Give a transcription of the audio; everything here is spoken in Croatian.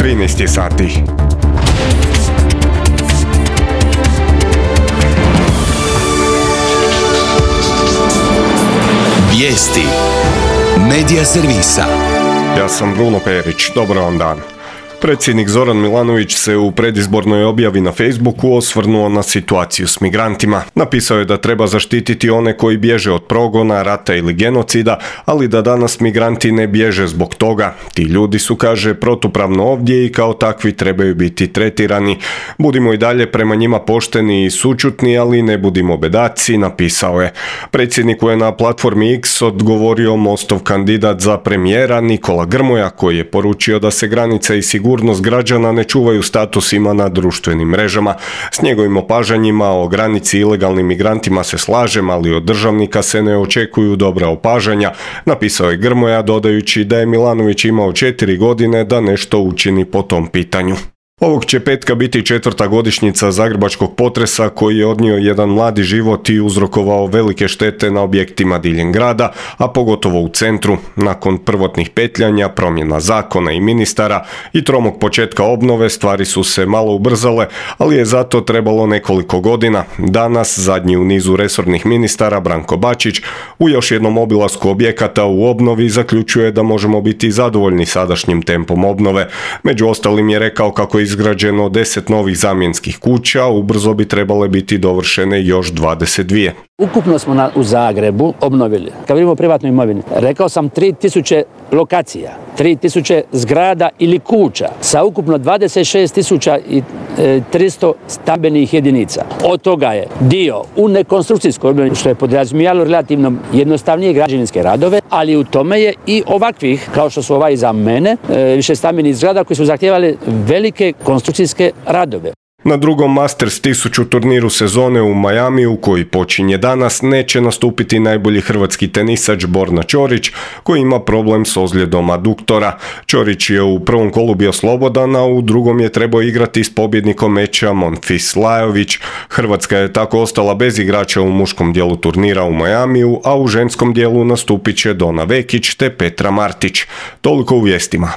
13 sati. Vijesti Medija servisa. Ja sam Bruno Perić, dobar vam dan. Predsjednik Zoran Milanović se u predizbornoj objavi na Facebooku osvrnuo na situaciju s migrantima. Napisao je da treba zaštititi one koji bježe od progona, rata ili genocida, ali da danas migranti ne bježe zbog toga. Ti ljudi su, kaže, protupravno ovdje i kao takvi trebaju biti tretirani. Budimo i dalje prema njima pošteni i sućutni, ali ne budimo bedaci, napisao je. Predsjedniku je na platformi X odgovorio Mostov kandidat za premijera Nikola Grmoja, koji je poručio da se granice i sigurnost građana ne čuvaju statusima na društvenim mrežama. S njegovim opažanjima o granici ilegalnim migrantima se slažem, ali od državnika se ne očekuju dobra opažanja, napisao je Grmoja, dodajući da je Milanović imao 4 godine da nešto učini po tom pitanju. Ovog će petka biti 4. godišnjica zagrebačkog potresa koji je odnio jedan mladi život i uzrokovao velike štete na objektima diljem grada, a pogotovo u centru. Nakon prvotnih petljanja, promjena zakona i ministara i tromog početka obnove stvari su se malo ubrzale, ali je zato trebalo nekoliko godina. Danas, zadnji u nizu resornih ministara, Branko Bačić, u još jednom obilasku objekata u obnovi zaključuje da možemo biti zadovoljni sadašnjim tempom obnove. Među ostalim je rekao kako je izgrađeno 10 novih zamjenskih kuća, ubrzo bi trebale biti dovršene još 22. Ukupno smo u Zagrebu obnovili, kad vidimo privatnu imovinu, rekao sam 3000 lokacija, 3000 zgrada ili kuća sa ukupno 26.300 stambenih jedinica. Od toga je dio u nekonstrukcijskoj obnovi, što je podrazumijevalo relativno jednostavnije građevinske radove, ali u tome je i ovakvih, kao što su ovaj za mene, više stambenih zgrada koji su zahtijevali velike konstrukcijske radove. Na drugom Masters 1000 turniru sezone u Miamiju, koji počinje danas, neće nastupiti najbolji hrvatski tenisač Borna Ćorić, koji ima problem s ozljedom aduktora. Ćorić je u prvom kolu bio slobodan, a u drugom je trebao igrati s pobjednikom meča Monfils Lajović. Hrvatska je tako ostala bez igrača u muškom dijelu turnira u Miamiju, a u ženskom dijelu nastupit će Dona Vekić te Petra Martić. Toliko u vijestima.